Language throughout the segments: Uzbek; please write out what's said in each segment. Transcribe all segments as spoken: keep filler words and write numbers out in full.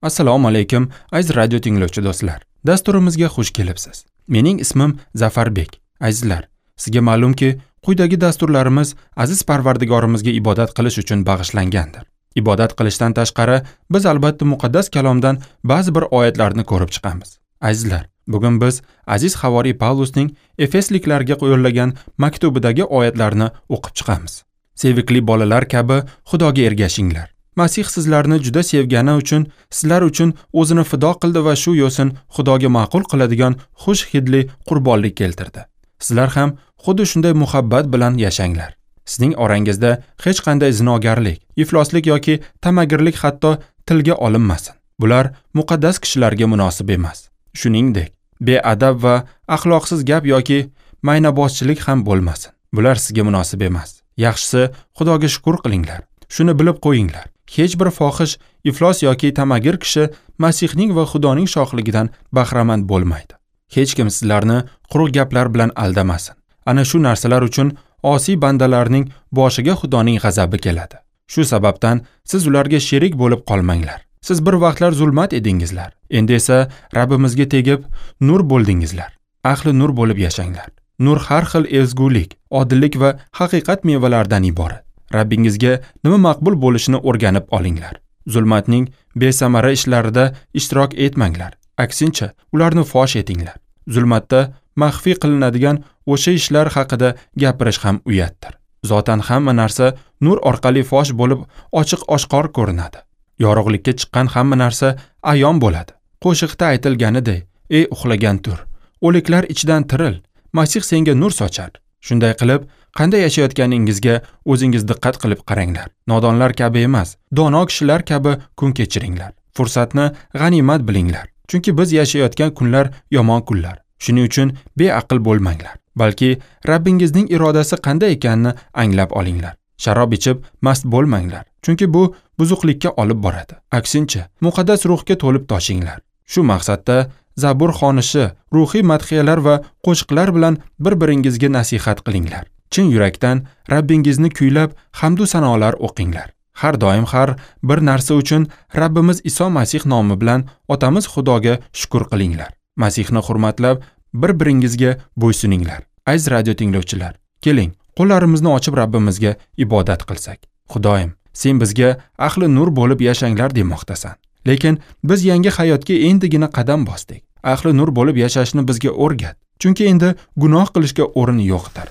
Assalomu alaykum, aziz radio tinglovchi do'stlar. Dasturimizga xush kelibsiz. Mening ismim Zafarbek. Azizlar, sizga ma'lumki, quyidagi dasturlarimiz aziz Parvardigorimizga ibodat qilish uchun bag'ishlangandir. Ibodat qilishdan tashqari, biz albatta muqaddas kalomdan ba'zi bir oyatlarni ko'rib chiqamiz. Azizlar, bugun biz aziz havoriy Pavlusning Efesliklarga yo'llagan maktubidagi oyatlarni o'qib chiqamiz. Sevikli bolalar kabi Xudoga ergashinglar. Masih sizlarni juda sevgani uchun sizlar uchun o'zini fido qildi va shu yo'sin Xudoga ma'qul qiladigan xush hidli qurbonlik keltirdi. Sizlar ham xuddi shunday muhabbat bilan yashanglar. Sizning orangizda hech qanday zinogarlik, ifloslik yoki tamagirlik hatto tilga olinmasin. Bular muqaddas kishilarga munosib emas. Shuningdek, beadab va axloqsiz gap yoki maynabozchilik ham bo'lmasin. Bular sizga munosib emas. Yaxshisi, Xudoga shukr qilinglar. Shuni bilib qo'yinglar. Hech bir fohish, iflos yoki tamagir kishi Masihning va Xudoning shohligidan bahramand bo'lmaydi. Hech kim sizlarni quruq gaplar bilan aldamasin. Ana shu narsalar uchun osiy bandalarning boshiga Xudoning g'azabi keladi. Shu sababdan siz ularga sherik bo'lib qolmanglar. Siz bir vaqtlar zulmat edingizlar. Endi esa Rabbimizga tegib nur bo'ldingizlar. Ahli nur bo'lib yashanglar. Nur har xil ezgulik, odillik va haqiqat mevalaridan iborat. Rabbingizga nima maqbul bo'lishini o'rganib olinglar. Zulmatning besamara ishlarida ishtirok etmanglar. Aksincha, ularni fosh etinglar. Zulmatda maxfiy qilinadigan o'sha ishlar haqida gapirish ham uyatdir. Zotan hamma narsa nur orqali fosh bo'lib, ochiq-oshkor ko'rinadi. Yorug'likka chiqqan hamma narsa ayon bo'ladi. Qo'shiqda aytilganidek, ey uxlagan tur, o'liklar ichidan tiril, Masih senga nur sochar. Shunday qilib, qanday yashayotganingizga o'zingiz diqqat qilib qaranglar. Nodonlar kabi emas, dono kishilar kabi kun kechiringlar. Fursatni g'animat bilinglar. Chunki biz yashayotgan kunlar yomon kunlar. Shuning uchun beaql bo'lmanglar, balki Rabbingizning irodasi qanday ekanini anglab olinglar. Sharob ichib mast bo'lmanglar, chunki bu buzuqlikka olib boradi. Aksincha, muqaddas ruhga to'lib toshinglar. Shu maqsadda Zabur xonishi, ruhiy madhiyalar va qo'shiqlar bilan bir-biringizga nasihat qilinglar. Chin yurakdan Rabbingizni kuylab, hamd va sanolar o'qinglar. Har doim har bir narsa uchun Rabbimiz Iso Masih nomi bilan Otamiz Xudoga shukr qilinglar. Masihni hurmatlab, bir-biringizga bo'ysuninglar. Aziz radio tinglovchilar, keling, qo'llarimizni ochib Rabbimizga ibodat qilsak. Xudoyim, sen bizga ahli nur bo'lib yashanglar demoqdasan. Lekin biz yangi hayotga endigina qadam bosdik. Ahli nur bo'lib yashashni bizga o'rgat. Chunki endi gunoh qilishga o'rin yo'qdir.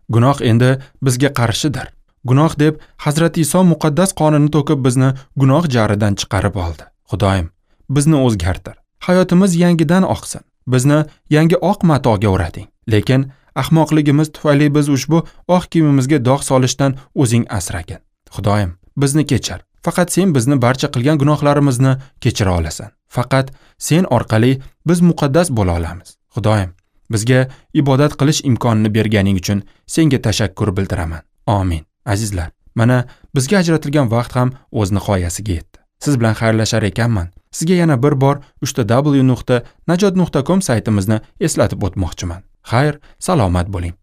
Gunoh endi bizga qarshidir. Gunoh deb Hazrati Iso muqaddas qonini to'kib bizni gunoh jaridan chiqarib oldi. Xudoyim, bizni o'zgartir. Hayotimiz yangidan oqsin. Bizni yangi oq matoga o'rading. Lekin ahmoqligimiz tufayli biz ushbu oq kiyimimizga dog' solishdan o'zing asragin. Xudoyim, bizni kechir. Faqat sen bizni barcha qilgan gunohlarimizni kechira olasan. Faqat sen orqali biz muqaddas bo'la olamiz. Xudoyim, bizga ibodat qilish imkonini berganing uchun senga tashakkur bildiraman. Amin. Azizlar, mana bizga ajratilgan vaqt ham o'z nihoyasiga yetdi. Siz bilan xayrlashar ekanman. Sizga yana bir bor uch ta w nuqta najot nuqta com saytimizni eslatib o'tmoqchiman. Xayr, salomat bo'ling.